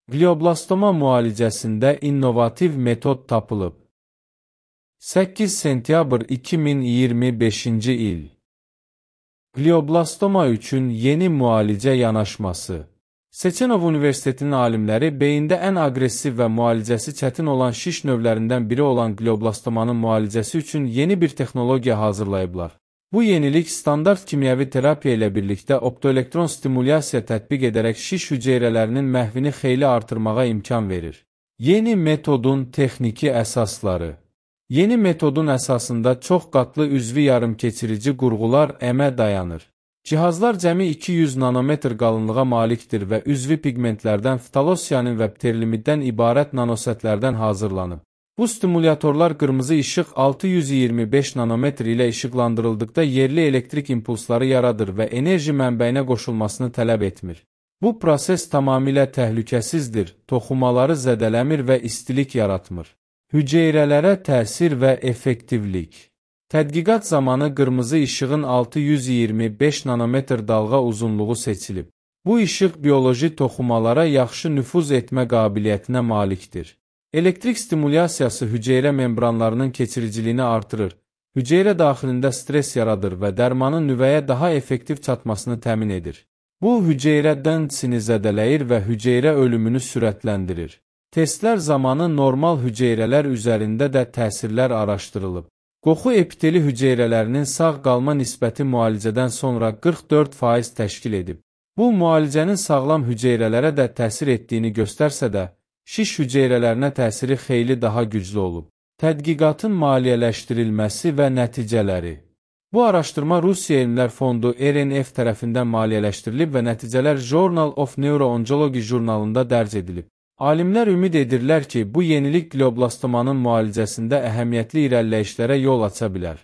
Glioblastoma müalicəsində innovativ metod tapılıb. 8 sentyabr 2025-ci il. Glioblastoma üçün yeni müalicə yanaşması. Seçenov Universitetinin alimləri beyində ən aqressiv və müalicəsi çətin olan şiş növlərindən biri olan glioblastomanın müalicəsi üçün yeni bir texnologiya hazırlayıblar. Bu yenilik standart kimyəvi terapiya ilə birlikdə optoelektron stimulyasiya tətbiq edərək şiş hüceyrələrinin məhvini xeyli artırmağa imkan verir. Yeni metodun texniki əsasları. Yeni metodun əsasında çox qatlı üzvi yarımkeçirici qurğular əmə dayanır. Cihazlar cəmi 200 nanometr qalınlığa malikdir və üzvi pigmentlərdən ftalosiyanin və pterlimiddən ibarət nanosətlərdən hazırlanıb. Bu stimulyatorlar qırmızı işıq 625 nanometr ilə işıqlandırıldıqda yerli elektrik impulsları yaradır və enerji mənbəyinə qoşulmasını tələb etmir. Bu proses tamamilə təhlükəsizdir, toxumaları zədələmir və istilik yaratmır. Hüceyrələrə təsir və effektivlik. Tədqiqat zamanı qırmızı işığın 625 nanometr dalğa uzunluğu seçilib. Bu işıq bioloji toxumalara yaxşı nüfuz etmə qabiliyyətinə malikdir. Elektrik stimulyasiyası hüceyrə membranlarının keçiriciliyini artırır, hüceyrə daxilində stres yaradır və dərmanın nüvəyə daha effektiv çatmasını təmin edir. Bu, hüceyrə densini zədələyir və hüceyrə ölümünü sürətləndirir. Testlər zamanı normal hüceyrələr üzərində də təsirlər araşdırılıb. Qoxu epiteli hüceyrələrinin sağ qalma nisbəti müalicədən sonra 44% təşkil edib. Bu, müalicənin sağlam hüceyrələrə də təsir etdiyini göstərsə də, şiş hüceyrələrinə təsiri xeyli daha güclü olub. Tədqiqatın maliyyələşdirilməsi və nəticələri. Bu araşdırma Rusiya Elmlər Fondu RNF tərəfindən maliyyələşdirilib və nəticələr Journal of Neuro-Oncology jurnalında dərc edilib. Alimlər ümid edirlər ki, bu yenilik glioblastomanın müalicəsində əhəmiyyətli irəliləyişlərə yol aça bilər.